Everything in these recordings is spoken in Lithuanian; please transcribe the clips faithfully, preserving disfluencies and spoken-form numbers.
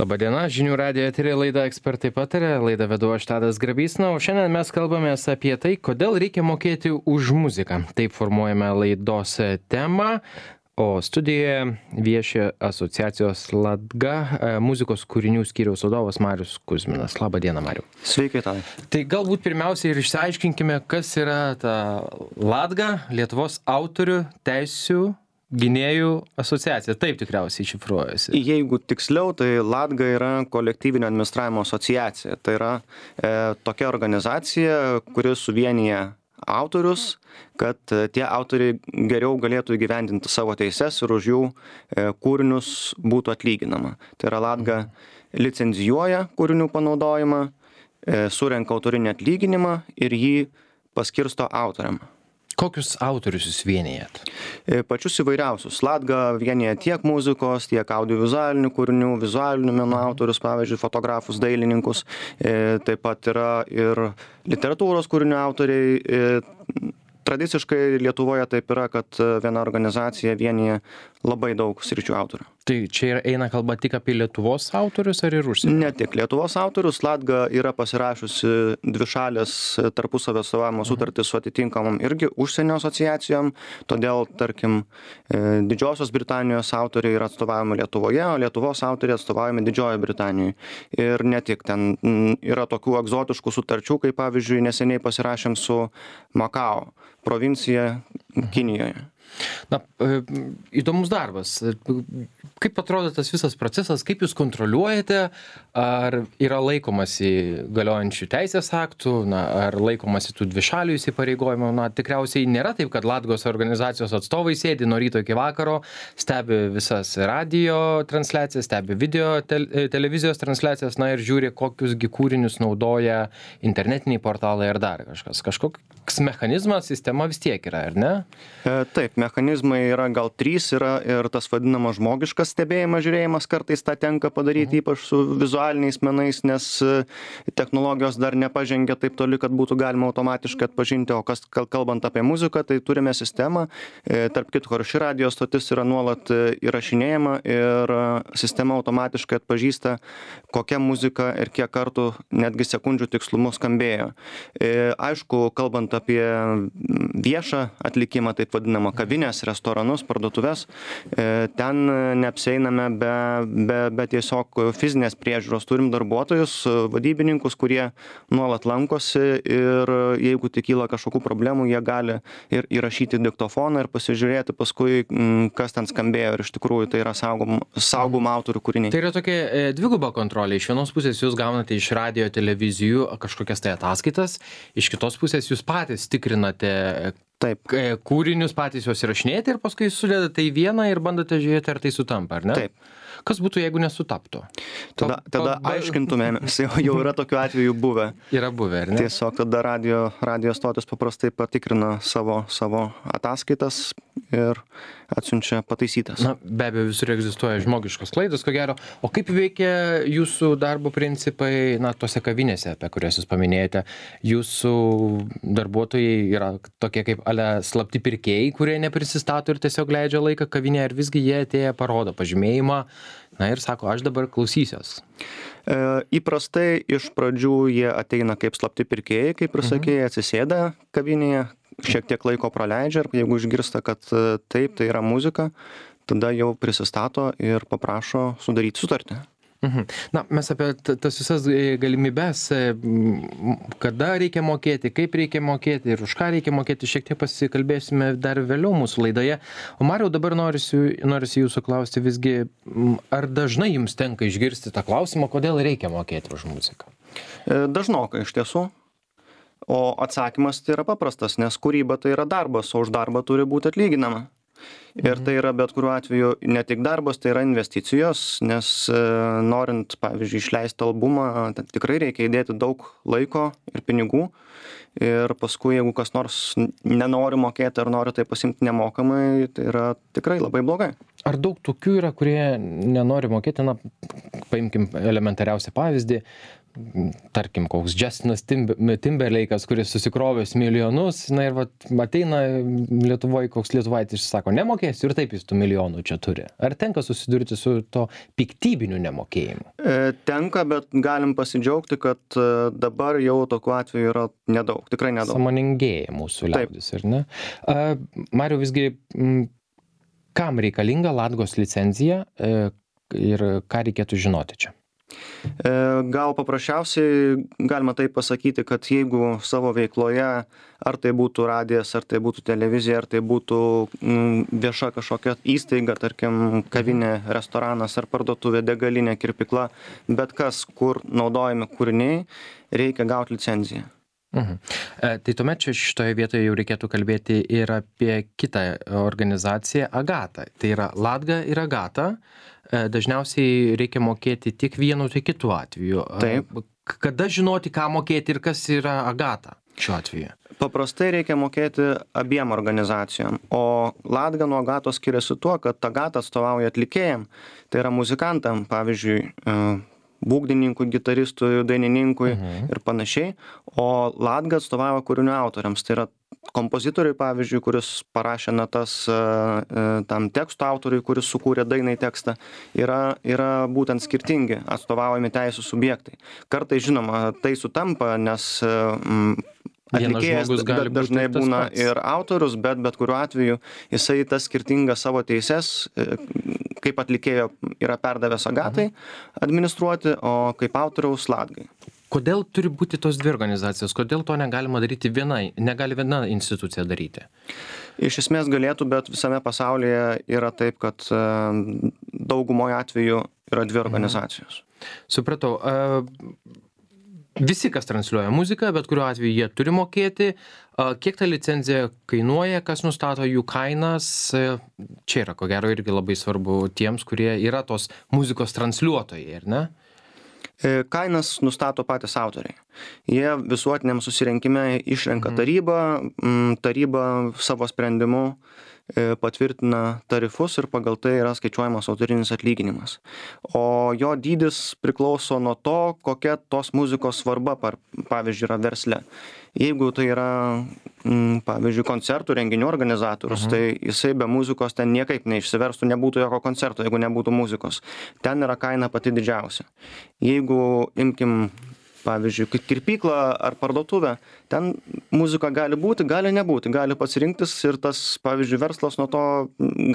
Labadiena, žinių radijo eteryje laida Ekspertai pataria, laidą vedu aš Tadas Grabys, na, o šiandien mes kalbamės apie tai, kodėl reikia mokėti už muziką. Taip formuojame laidos temą, o studijoje vieši asociacijos Latga muzikos kūrinių skyriaus vadovas Marius Kuzminas. Labadiena, Mariu. Sveiki, Tadai. Tai galbūt pirmiausiai ir išsiaiškinkime, kas yra ta Latga, Lietuvos autorių teisių gynėjų asociacija. Taip tikriausiai šifruojasi. Jeigu tiksliau, tai Latga yra kolektyvinio administravimo asociacija. Tai yra e, tokia organizacija, kuri suvienyje autorius, kad e, tie autoriai geriau galėtų įgyvendinti savo teises ir už jų e, kūrinius būtų atlyginama. Tai yra Latga licenzijuoja kūrinių panaudojimą, e, surenka autorinį atlyginimą ir jį paskirsto autoriam. Kokius autorius jūs vienijat? Pačius įvairiausius. Latga vienija tiek muzikos, tiek audiovizualinių kūrinių, vizualinių menų autorius, pavyzdžiui, fotografus, dailininkus. Taip pat yra ir literatūros kūrinių autoriai. Tradiciškai Lietuvoje taip yra, kad viena organizacija vienija labai daug sričių autorių. Tai čia eina kalba tik apie Lietuvos autorius ar ir užsienio? Ne tik Lietuvos autorius. Latga yra pasirašiusi dvišalės tarpusavio atstovavimo sutartį su atitinkamom irgi užsienio asociacijom. Todėl, tarkim, Didžiosios Britanijos autoriai yra atstovaujami Lietuvoje, o Lietuvos autoriai atstovaujami Didžiojoje Britanijoje. Ir ne tik, ten yra tokių egzotiškų sutarčių, kaip pavyzdžiui neseniai pasirašėm su Makao provincija Kinijoje. Na, įdomus darbas. Kaip atrodo tas visas procesas, kaip jūs kontroliuojate, ar yra laikomasi galiojančių teisės aktų, na, ar laikomasi tų dvišalių įsipareigojimų? Na, tikriausiai nėra taip, kad Latgos organizacijos atstovai sėdi nuo ryto iki vakaro, stebi visas radio transliacijas, stebi video te televizijos transliacijas, na ir žiūri, kokiusgi kūrinius naudoja internetiniai portalai ar dar kažkas. Kažkoks mechanizmas, sistema vis tiek yra, ar ne? E, taip, mechanizmai yra gal trys, yra ir tas vadinamas žmogiškas stebėjimas, žiūrėjimas, kartais tą tenka padaryti, ypač su vizualiniais menais, nes technologijos dar nepažengia taip toli, kad būtų galima automatiškai atpažinti, o kas kalbant apie muziką, tai turime sistemą, e, tarp kitko ir ši radio stotis yra nuolat įrašinėjama ir sistema automatiškai atpažįsta, kokia muzika ir kiek kartų netgi sekundžių tikslumu skambėjo. E, aišku, kalbant apie viešą atlikimą, taip vadinamą kavinės, restoranus, parduotuvės, ten neapsieiname be, be, be tiesiog fizinės priežiūros. Turim darbuotojus, vadybininkus, kurie nuolat lankosi ir jeigu tik kyla kažkokių problemų, jie gali ir įrašyti diktofoną ir pasižiūrėti paskui, kas ten skambėjo ir iš tikrųjų tai yra saugom, saugom autorių kūriniai. Tai yra tokia e, dviguba kontrolė. Iš vienos pusės jūs gaunate iš radio, televizijų kažkokias tai ataskaitas, iš kitos pusės jūs patys tikrinate Taip. Kūrinius patys juos įrašinėjate ir paskui sudedate į vieną ir bandote žiūrėti, ar tai sutampa, ar ne? Taip. Kas būtų, jeigu nesutaptų? Tada, tada aiškintumėmės, jau, jau yra tokių atvejų buvę. Yra buvę, ar ne? Tiesiog tada radio, radio stotis paprastai patikrina savo, savo ataskaitas ir atsiunčia pataisytas. Na, be abejo, visur egzistuoja žmogiškos klaidos, ko gero. O kaip veikia jūsų darbo principai, na, tose kavinėse, apie kurias jūs paminėjote? Jūsų darbuotojai yra tokie kaip ale slapti pirkėjai, kurie neprisistato ir tiesiog leidžia laiką kavinėje, ar visgi jie atėję parodo pažymėjimą, na ir sako, aš dabar klausysiuos. E, įprastai iš pradžių jie ateina kaip slapti pirkėjai, kaip ir sakėjai, atsisėda kavinėje, šiek tiek laiko praleidžia ir jeigu išgirsta, kad taip, tai yra muzika, tada jau prisistato ir paprašo sudaryti sutartį. Mhm. Na, mes apie tas visas galimybės, kada reikia mokėti, kaip reikia mokėti ir už ką reikia mokėti, šiek tiek pasikalbėsime dar vėliau mūsų laidoje. O Mariau, dabar norisi, norisi jūsų klausti visgi, ar dažnai jums tenka išgirsti tą klausimą, kodėl reikia mokėti už muziką? Dažnokai iš tiesų. O atsakymas tai yra paprastas, nes kūryba tai yra darbas, o už darbą turi būti atlyginama. Ir tai yra bet kuriuo atveju ne tik darbas, tai yra investicijos, nes norint, pavyzdžiui, išleisti albumą, tikrai reikia įdėti daug laiko ir pinigų. Ir paskui, jeigu kas nors nenori mokėti ar nori tai pasimti nemokamai, tai yra tikrai labai blogai. Ar daug tokių yra, kurie nenori mokėti, na, paimkim elementariausią pavyzdį, tarkim, koks Justinas Timberlake'as, kuris susikrovęs milijonus, na ir vat, ateina Lietuvoje, koks lietuvaitis sako, nemokėsiu ir taip jis tų milijonų čia turi. Ar tenka susidurti su to piktybiniu nemokėjimu? E, tenka, bet galim pasidžiaugti, kad dabar jau tokių atvejų yra nedaug, tikrai nedaug. Samoningėja mūsų liaudis, ar ne? A, Mariau, visgi, m, kam reikalinga Latgos licencija e, ir ką reikėtų žinoti čia? Gal paprasčiausiai galima taip pasakyti, kad jeigu savo veikloje, ar tai būtų radijas, ar tai būtų televizija, ar tai būtų vieša kažkokia įstaiga, tarkim, kavinė, restoranas, ar parduotuvė, degalinė, kirpykla, bet kas, kur naudojami kūriniai, reikia gauti licenciją. Mhm. E, tai tuomet čia šitoje vietoje jau reikėtų kalbėti ir apie kitą organizaciją Agata. Tai yra Latga ir Agata. E, dažniausiai reikia mokėti tiek vienu, tiek kitu atveju. Taip. Kada žinoti, ką mokėti ir kas yra Agata šiuo atveju? Paprastai reikia mokėti abiem organizacijom, o Latga nuo Agatos skiriasi tuo, kad Agata atstovauja atlikėjam, tai yra muzikantam, pavyzdžiui, būgnininkui, gitaristui, dainininkui mhm. ir panašiai, o Latga atstovauja kūrinių autoriams, tai yra kompozitoriui, pavyzdžiui, kuris parašė natas tam teksto autoriui, kuris sukūrė dainai tekstą, yra, yra būtent skirtingi atstovaujami teisų subjektai. Kartais, žinoma, tai sutampa, nes atlikėjas dažnai būna ir autorius, bet bet kuriuo atveju jisai tas skirtingas savo teises, kaip atlikėjo yra perdavęs Agatai administruoti, o kaip autoriaus Latgai. Kodėl turi būti tos dvi organizacijos? Kodėl to negalima daryti vienai, negali viena institucija daryti? Iš esmės galėtų, bet visame pasaulyje yra taip, kad daugumoje atveju yra dvi organizacijos. Mhm. Supratau. Visi, kas transliuoja muziką, bet kuriuo atveju jie turi mokėti. Kiek ta licencija kainuoja, kas nustato jų kainas? Čia yra, ko gero, irgi labai svarbu tiems, kurie yra tos muzikos transliuotojai, ar ne? Kainas nustato patys autoriai. Jie visuotiniam susirinkime išrenka tarybą, taryba savo sprendimu patvirtina tarifus ir pagal tai yra skaičiuojamas autorinis atlyginimas. O jo dydis priklauso nuo to, kokia tos muzikos svarba, pavyzdžiui, yra versle. Jeigu tai yra, pavyzdžiui, koncertų renginių organizatorius, mhm. tai jisai be muzikos ten niekaip neišsiverstų, nebūtų jokio koncerto, jeigu nebūtų muzikos. Ten yra kaina pati didžiausia. Jeigu imkim, pavyzdžiui, kirpyklą ar parduotuvę, ten muzika gali būti, gali nebūti, gali pasirinktis ir tas, pavyzdžiui, verslas nuo to,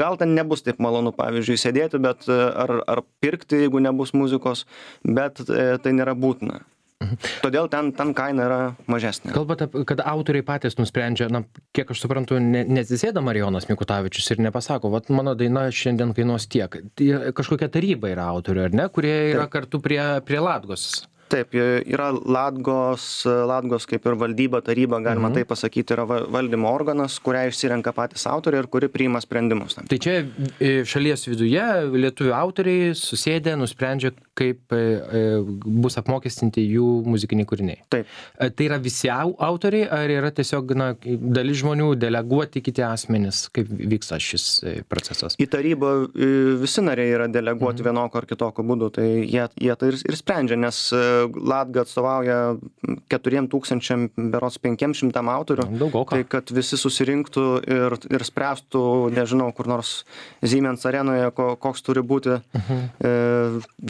gal ten nebus taip malonu, pavyzdžiui, sėdėti, bet ar, ar pirkti, jeigu nebus muzikos, bet tai nėra būtina. Todėl ten, ten kaina yra mažesnė. Kalbate, kad autoriai patys nusprendžia, na, kiek aš suprantu, ne, nesisėda Marijonas Mikutavičius ir nepasako, vat mano daina šiandien kainuos tiek. Kažkokia taryba yra autorių, ar ne, kurie yra Taip. Kartu prie, prie Latgos. Taip, yra Latgos, Latgos kaip ir valdyba, taryba, galima mhm. taip pasakyti, yra valdymo organas, kurią išsirenka patys autoriai ir kuri priima sprendimus. Tai čia šalies viduje lietuvių autoriai susėdė, nusprendžia, kaip bus apmokestinti jų muzikiniai kūriniai. Taip. Tai yra visi autoriai, ar yra tiesiog, na, dalis žmonių deleguoti kiti asmenys, kaip vyksta šis procesas? Į tarybą visi nariai yra deleguoti mhm. vienokio ar kitokio būdu, tai jie, jie tai ir, ir sprendžia, nes Latga atstovauja keturiem tūkstančiam, berods penkiem šimtam autorių. Daugoka. Tai kad visi susirinktų ir, ir spręstų, nežinau, kur nors Siemens arenoje, ko, koks turi būti uh-huh. e,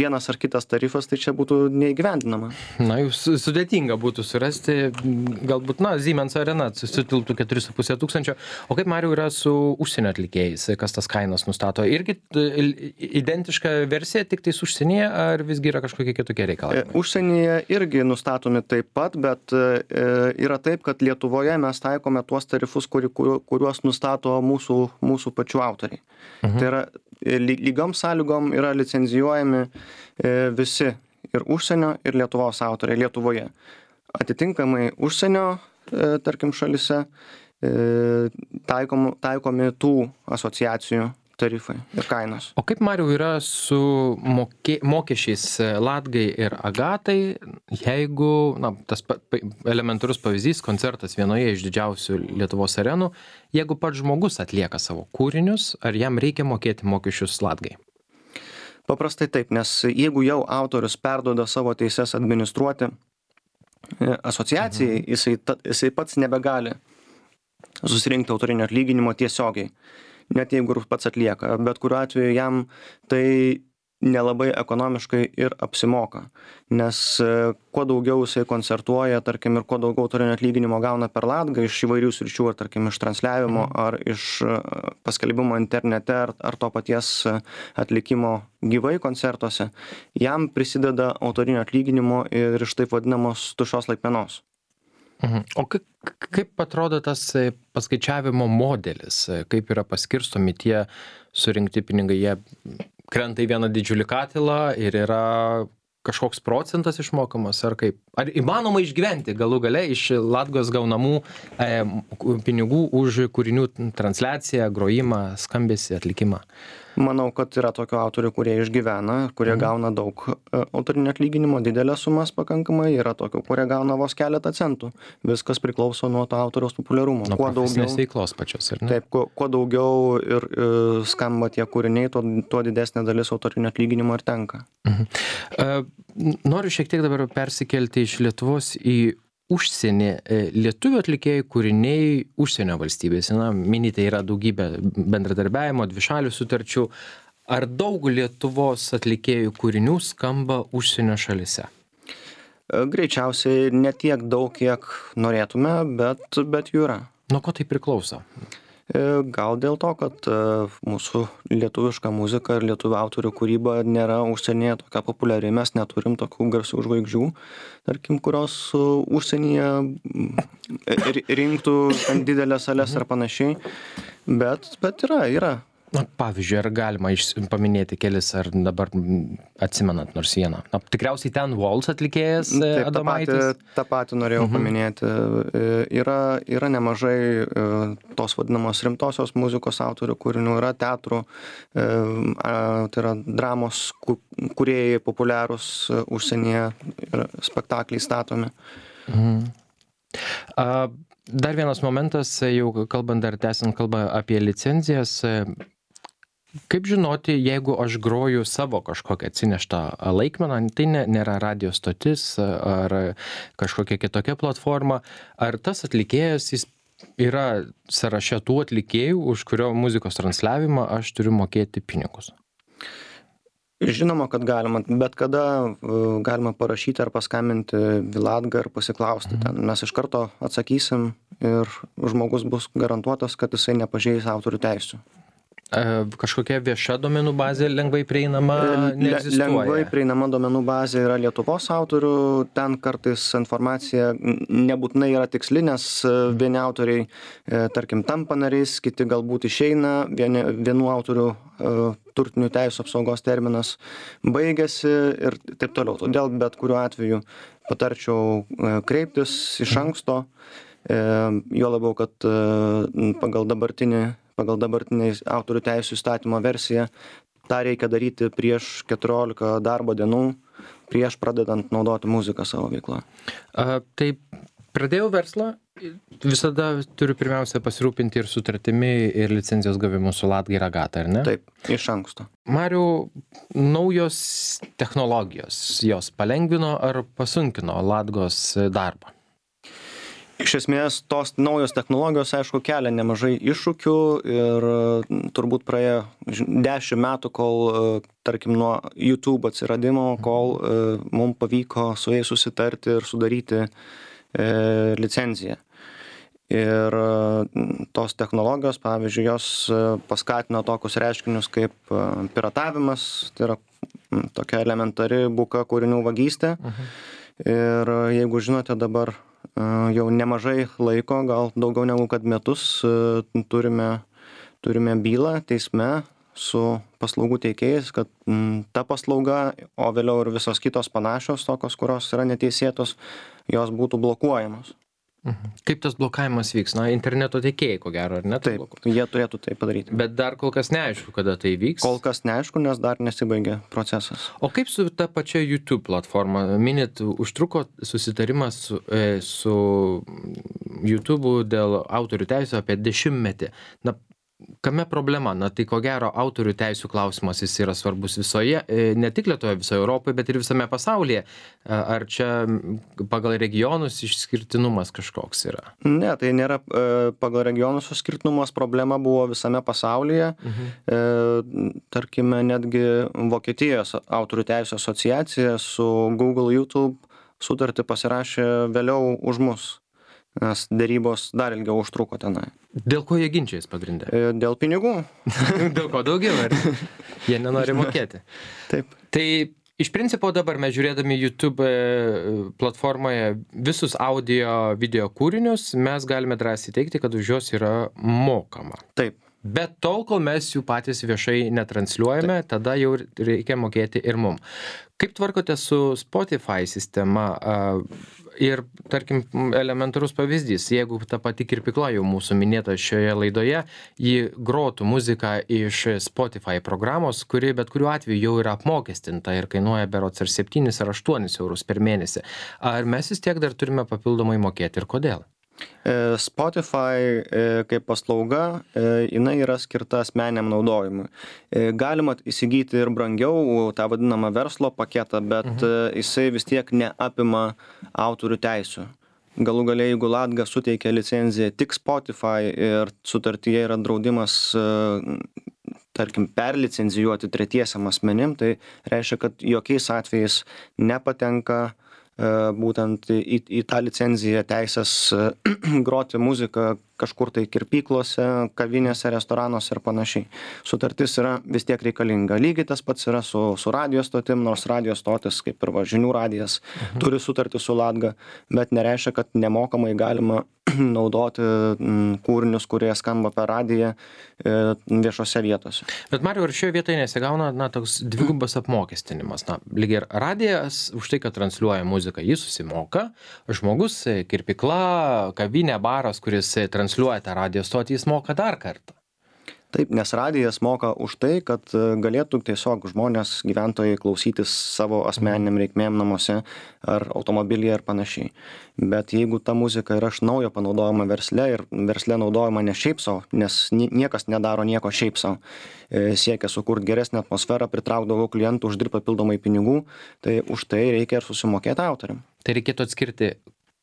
vienas ar kitas tarifas, tai čia būtų neįgyvendinama. Na, jūs sudėtinga būtų surasti, galbūt, na, Siemens arena susitilptų keturi su puse tūkstančio. O kaip, Mariau, yra su užsienio atlikėjais, kas tas kainas nustato? Irgi identiška versija, tik tais užsienyje, ar visgi yra kažkokie kitokie reikalavimai? E, Užsienyje irgi nustatomi taip pat, bet yra taip, kad Lietuvoje mes taikome tuos tarifus, kuri, kuriuos nustato mūsų, mūsų pačių autoriai. Mhm. Tai yra lygiom sąlygom yra licenzijuojami visi ir užsienio, ir Lietuvos autoriai Lietuvoje. Atitinkamai užsienio, tarkim, šalise taikom, taikomi tų asociacijų tarifai ir kainos. O kaip, Mariau, yra su mokė, mokesčiais Latgai ir Agatai, jeigu, na, tas pa, pa, elementarus pavyzdys, koncertas vienoje iš didžiausių Lietuvos arenų, jeigu pats žmogus atlieka savo kūrinius, ar jam reikia mokėti mokesčius Latgai? Paprastai taip, nes jeigu jau autorius perduoda savo teises administruoti asociacijai, mhm. jisai, ta, jisai pats nebegali susirinkti autorinio atlyginimo tiesiogiai, net jeigu ir pats atlieka, bet kuriuo atveju jam tai nelabai ekonomiškai ir apsimoka, nes kuo daugiau jisai koncertuoja, tarkim, ir kuo daugiau autorinio atlyginimo gauna per Latgą iš įvairių sričių, ar tarkim iš transliavimo, mhm. ar iš paskelbimo internete, ar, ar to paties atlikimo gyvai koncertuose, jam prisideda autorinio atlyginimo ir iš taip vadinamos tuščios laikmenos. Mhm. O kaip, kaip atrodo tas paskaičiavimo modelis, kaip yra paskirstomi tie surinkti pinigai, jie krenta į vieną didžiulį katilą ir yra kažkoks procentas išmokamas, ar kaip? Ar įmanoma išgyventi galų gale iš Latgos gaunamų e, pinigų už kūrinių transliaciją, grojimą, skambesį, atlikimą? Manau, kad yra tokių autorių, kurie išgyvena, kurie mhm. gauna daug autorinio atlyginimo, didelės sumas pakankamai, yra tokių, kurie gauna vos keletą centų. Viskas priklauso nuo to autoriaus populiarumo. Nuo profesinės veiklos pačios, ar ne? Taip, kuo, kuo daugiau ir, ir skamba tie kūriniai, tuo, tuo didesnė dalis autorinio atlyginimo ir tenka. Mhm. Uh, noriu šiek tiek dabar persikelti iš Lietuvos į užsienį. Lietuvių atlikėjų kūriniai užsienio valstybėse, na, minite, yra daugybė bendradarbiavimo, dvišalių sutarčių. Ar daug Lietuvos atlikėjų kūrinių skamba užsienio šalise? Greičiausiai ne tiek daug, kiek norėtume, bet, bet jų yra. Nuo ko tai priklauso? Gal dėl to, kad mūsų lietuviška muzika ir lietuvių autorių kūryba nėra užsienyje tokia populiari, mes neturim tokių garsių žvaigždžių, tarkim, kurios užsienyje rinktų didelės sales ar panašiai, bet, bet yra, yra. Na, pavyzdžiui, ar galima iš, paminėti kelis, ar dabar atsimenat nors vieną? Na, tikriausiai ten Waltz atlikėjas Taip, Adomaitis. Tą patį, tą patį norėjau uh-huh. paminėti. Yra, yra nemažai tos vadinamos rimtosios muzikos autorių kūrinių, yra teatrų, tai yra dramos kūrėjai populiarūs užsienyje ir spektakliai statomi. Uh-huh. Uh, dar vienas momentas, jau kalbant dar tęsiant kalbą apie licenzijas. Kaip žinoti, jeigu aš groju savo kažkokią atsineštą laikmeną, tai ne, nėra radio stotis ar kažkokia kitokia platforma, ar tas atlikėjas jis yra sąraše tų atlikėjų, už kurio muzikos transliavimą aš turiu mokėti pinigus? Žinoma, kad galima, bet kada galima parašyti ar paskambinti į Latgą ir pasiklausti. Ten mes iš karto atsakysim ir žmogus bus garantuotas, kad jisai nepažeis autorių teisių. Kažkokia vieša duomenų bazė lengvai prieinama neegzistuoja? Lengvai prieinama duomenų bazė yra Lietuvos autorių, ten kartais informacija nebūtinai yra tiksli, nes vieni autoriai, tarkim, tampa nariais, kiti galbūt išeina, vieni, vienų autorių turtinių teisų apsaugos terminas baigėsi ir taip toliau. Todėl bet kuriuo atveju patarčiau kreiptis iš anksto, jo labiau, kad pagal dabartinį pagal dabartinį autorių teisų įstatymo versiją, tą reikia daryti prieš keturiolika darbo dienų, prieš pradedant naudoti muziką savo veiklą. A, tai pradėjau verslą, visada turiu pirmiausia pasirūpinti ir sutartimi, ir licenzijos gavimu su Latga ir Agata, ar ne? Taip, iš anksto. Mariau, naujos technologijos, jos palengvino ar pasunkino Latgos darbą? Iš esmės, tos naujos technologijos, aišku, kelia nemažai iššūkių ir turbūt praėjo dešimt metų, kol, tarkim, nuo YouTube atsiradimo, kol mums pavyko su jais susitarti ir sudaryti e, licenciją. Ir tos technologijos, pavyzdžiui, jos paskatino tokius reiškinius kaip piratavimas, tai yra tokia elementari buka kūrinių vagystė. Uh-huh. Ir jeigu žinote, dabar jau nemažai laiko, gal daugiau negu kad metus, turime, turime bylą teisme su paslaugų teikėjais, kad ta paslauga, o vėliau ir visos kitos panašios, tokios, kurios yra neteisėtos, jos būtų blokuojamos. Mhm. Kaip tas blokavimas vyks? Na, interneto tiekėjai, ko gero, ar ne? Taip, jie turėtų tai padaryti. Bet dar kol kas neaišku, kada tai vyks. Kol kas neaišku, nes dar nesibaigė procesas. O kaip su ta pačia YouTube platforma? Minit, užtruko susitarimas su, e, su YouTube'u dėl autorių teisų apie dešimtmetį. Na, kame problema? Na, tai ko gero autorių teisų klausimas jis yra svarbus visoje, e, ne tik Lietuvoje, visoje Europoje, bet ir visame pasaulyje. Ar čia pagal regionus išskirtinumas kažkoks yra? Ne, tai nėra e, pagal regionus išskirtinumas, problema buvo visame pasaulyje. Mhm. E, tarkime, netgi Vokietijos autorių teisų asociacija su Google, YouTube sutartį pasirašė vėliau už mus, nes dėrybos dar ilgiau užtruko tenai. Dėl ko jie ginčiais pagrindė? E, dėl pinigų. Dėl ko daugiau, ar jie nenori mokėti? Taip. Tai iš principo dabar mes žiūrėdami YouTube platformoje visus audio video kūrinius, mes galime drąsiai teigti, kad už juos yra mokama. Taip. Bet tol, kol mes jų patys viešai netransliuojame, Taip. tada jau reikia mokėti ir mum. Kaip tvarkote su Spotify sistema? Ir, tarkim, elementarus pavyzdys, jeigu ta pati kirpykla jau mūsų minėta šioje laidoje, ji grotų muziką iš Spotify programos, kuri bet kuriuo atveju jau yra apmokestinta ir kainuoja berods ar septynis ar aštuonis eurus per mėnesį. Ar mes vis tiek dar turime papildomai mokėti ir kodėl? Spotify kaip paslauga, jinai yra skirta asmeniniam naudojimui. Galima įsigyti ir brangiau tą vadinamą verslo paketą, bet mhm. jisai vis tiek neapima autorių teisių. Galų gale, jeigu Latga suteikia licenciją tik Spotify ir sutartyje yra draudimas, tarkim, perlicencijuoti tretiesiam asmenim, tai reiškia, kad jokiais atvejais nepatenka būtent į, į tą licenciją teisės groti muziką kažkur tai kirpyklose, kavinėse, restoranuose ir panašiai. Sutartis yra vis tiek reikalinga. Lygiai tas pats yra su, su radio stotim, nors radio stotis, kaip ir va, žinių radijas, mhm. turi sutartį su Latga, bet nereiškia, kad nemokamai galima naudoti kūrinius, kurie skamba per radiją viešose vietose. Bet Mariau, ar šioje vietoje nesigauna, na, toks dvigubas apmokestinimas? Na, lygiai ir radijas už tai, kad transliuoja muziką, jis susimoka, žmogus, kirpykla, kavinė, baras, kuris transliuoja tą radijo stotį, jis moka dar kartą. Taip, nes radijas moka už tai, kad galėtų tiesiog žmonės, gyventojai klausytis savo asmeniniam reikmėm namuose ar automobilyje ir panašiai. Bet jeigu ta muzika yra iš naujo panaudojama versle ir versle naudojama ne šiaip savo, nes niekas nedaro nieko šiaip savo, siekia sukurti geresnę atmosferą, pritraukti daugiau klientų, uždirbti papildomai pinigų, tai už tai reikia ir susimokėti autoriam. Tai reikėtų atskirti,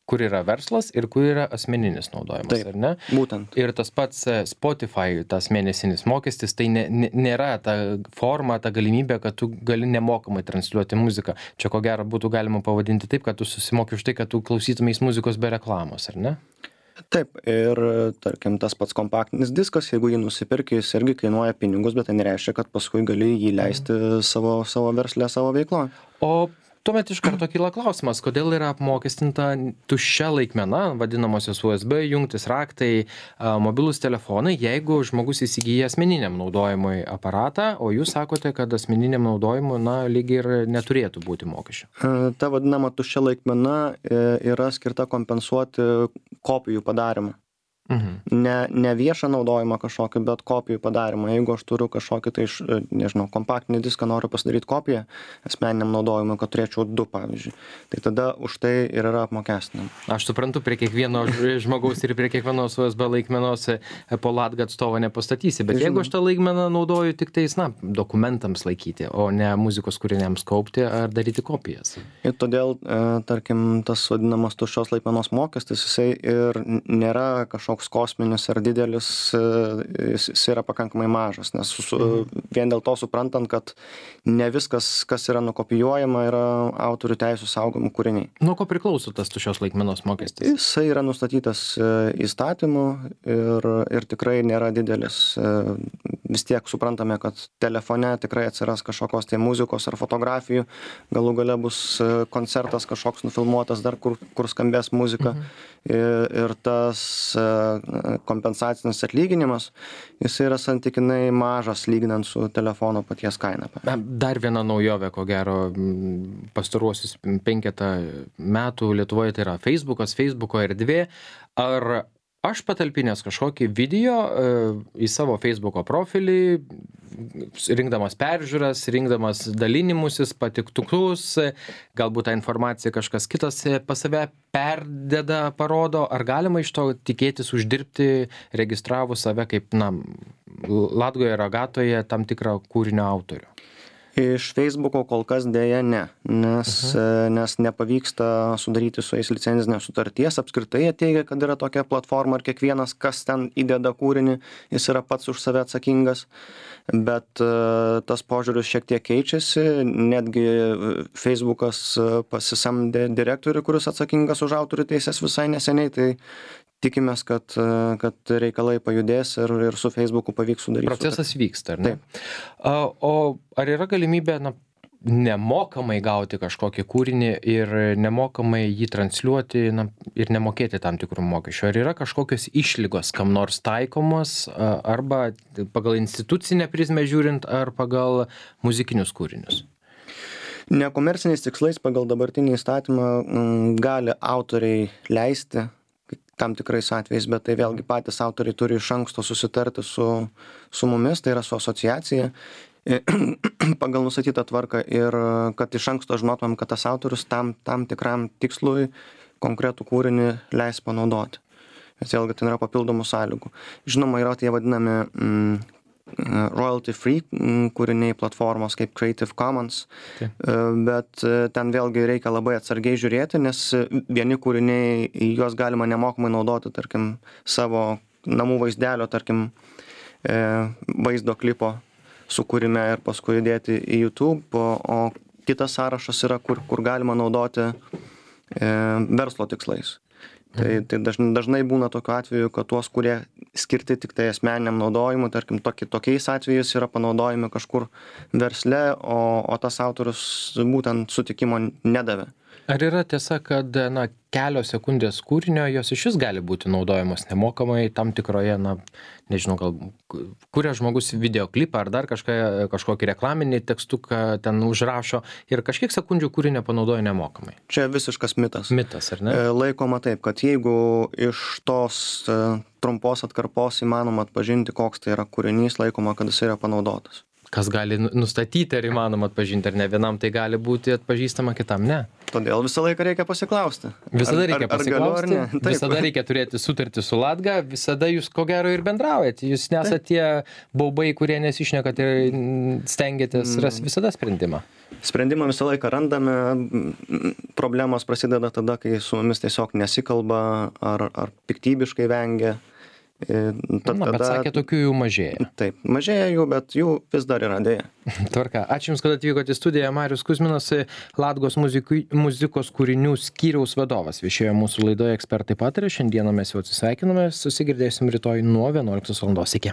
kur yra verslas ir kur yra asmeninis naudojimas, Taip, ar ne? Būtent. Ir tas pats Spotify, tas mėnesinis mokestis, tai ne, ne, nėra ta forma, ta galimybė, kad tu gali nemokamai transliuoti muziką. Čia ko gero būtų galima pavadinti taip, kad tu susimoki už tai, kad tu klausytumės muzikos be reklamos, ar ne? Taip, ir tarkim tas pats kompaktinis diskas, jeigu jį nusipirki, jis irgi kainuoja pinigus, bet tai nereiškia, kad paskui gali jį leisti savo, savo verslę, savo veikloje. O tuomet iš karto kyla klausimas, kodėl yra apmokestinta tuščia laikmena, vadinamosios U S B jungtis, raktai, mobilūs telefonai, jeigu žmogus įsigyja asmeniniam naudojimui aparatą, o jūs sakote, kad asmeniniam naudojimui, na, lygiai ir neturėtų būti mokesčio. Ta vadinama tuščia laikmena yra skirta kompensuoti kopijų padarimą. Mhm. Ne, ne viešą naudojimą kažkokį, bet kopijų padarymą. Jeigu aš turiu kažkokį, tai iš, nežinau, kompaktinį diską noriu pasidaryti kopiją asmeniniam naudojimui, kad turėčiau du, pavyzdžiui, tai tada už tai ir yra apmokestinama. Aš suprantu, prie kiekvieno žmogaus ir prie kiekvienos U S B laikmenos po Latga atstovo nepastatysi, bet jeigu aš tą laikmeną naudoju tik tais, na, dokumentams laikyti, o ne muzikos kūriniams kaupti ar daryti kopijas. Ir todėl, tarkim, tas vadinamas tuščios laikmenos mokestis, jisai ir nėra kažkoks kosminis ar didelis, jis, jis yra pakankamai mažas, nes su, vien dėl to suprantant, kad ne viskas, kas yra nukopijuojama, yra autorių teisų saugomų kūriniai. Nuo ko priklauso tas tuščios laikmenos mokestis? Jisai yra nustatytas įstatymu ir, ir tikrai nėra didelis. Vis tiek suprantame, kad telefone tikrai atsiras kažkokios tai muzikos ar fotografijų, galų gale bus koncertas kažkoks nufilmuotas dar, kur, kur skambės muzika. Mhm. Ir, ir tas kompensacinis atlyginimas, jis yra santykinai mažas lyginant su telefono paties kaina. Dar viena naujovė, ko gero, pastaruosius penketą metų Lietuvoje tai yra Facebookas, Facebooko erdvė. Ar aš patalpinęs kažkokį video į savo Facebooko profilį, rinkdamas peržiūras, rinkdamas dalinimusis, patiktukus, galbūt tą informaciją kažkas kitas pas save perdeda, parodo, ar galima iš to tikėtis uždirbti, registravus save kaip, na, Latgoje Ragatoje tam tikrą kūrinio autorių? Iš Facebooko kol kas dėja ne, nes, uh-huh. nes nepavyksta sudaryti su jais licenzinės sutarties. Apskritai jie teigia, kad yra tokia platforma ir kiekvienas, kas ten įdeda kūrinį, jis yra pats už save atsakingas, bet uh, tas požiūris šiek tiek keičiasi, netgi Facebookas pasisamdė direktorių, kuris atsakingas už autorių teisės visai neseniai, tai tikimės, kad, kad reikalai pajudės ir, ir su Facebooku pavyks sudaryti. Procesas vyksta, ar ne? Taip. O ar yra galimybė, na, nemokamai gauti kažkokį kūrinį ir nemokamai jį transliuoti, na, ir nemokėti tam tikrų mokesčių? Ar yra kažkokios išlygos kam nors taikomos, arba pagal institucinę prizmę žiūrint, ar pagal muzikinius kūrinius? Nekomerciniais tikslais pagal dabartinį įstatymą gali autoriai leisti tam tikrais atvejais, bet tai vėlgi patys autoriai turi iš anksto susitarti su, su mumis, tai yra su asociacija, pagal nustatytą tvarką ir kad iš anksto žinotumėm, kad tas autorius tam, tam tikram tikslui konkretų kūrinį leis panaudoti. Nes vėlgi ten yra papildomų sąlygų. Žinoma, yra tie vadinami mm, royalty free kūriniai platformos kaip Creative Commons, tai. Bet ten vėlgi reikia labai atsargiai žiūrėti, nes vieni kūriniai, juos galima nemokamai naudoti, tarkim, savo namų vaizdelio, tarkim, vaizdo klipo sukūrime ir paskui įdėti į YouTube, o, o kitas sąrašas yra, kur, kur galima naudoti verslo tikslais. Tai, tai dažnai, dažnai būna tokiu atveju, kad tuos, kurie skirti tik tai asmeniniam naudojimui, tarkim, toki, tokiais atvejais yra panaudojami kažkur versle, o, o tas autorius būtent sutikimo nedavė. Ar yra tiesa, kad, na, kelios sekundės kūrinio, jos iš vis gali būti naudojamos nemokamai tam tikroje, na, nežinau, gal kuria žmogus videoklipą ar dar kažką, kažkokį reklaminį tekstuką ten užrašo ir kažkiek sekundžių kūrinio panaudoja nemokamai? Čia visiškas mitas. Mitas, ar ne? Laikoma taip, kad jeigu iš tos trumpos atkarpos įmanoma atpažinti, koks tai yra kūrinys, laikoma, kad jis yra panaudotas. Kas gali nustatyti, ar įmanoma atpažinti, ar ne? Vienam tai gali būti atpažįstama, kitam ne. Todėl visą laiką reikia pasiklausti. Visada reikia ar, ar, pasiklausti, ar visada reikia turėti sutartį su Latga, visada jūs ko gero ir bendraujate. Jūs nesate tie baubai, kurie nesišnekat ir stengiatės rasti visada sprendimą. Sprendimą visą laiką randame, problemos prasideda tada, kai su mumis tiesiog nesikalba ar, ar piktybiškai vengia. Tad, Na, bet tada, sakė, tokių jų mažėja. Taip, mažėja jų, bet jų vis dar yra dėja. Tvarka. Ačiū Jums, kad atvykote į studiją. Marius Kuzminas, Latgos muzikų, muzikos kūrinių skyriaus vadovas. Viešėjo mūsų laidoje Ekspertai pataria. Šiandieną mes jau atsisveikiname. Susigirdėsim rytoj nuo vienuoliktos valandos. Iki.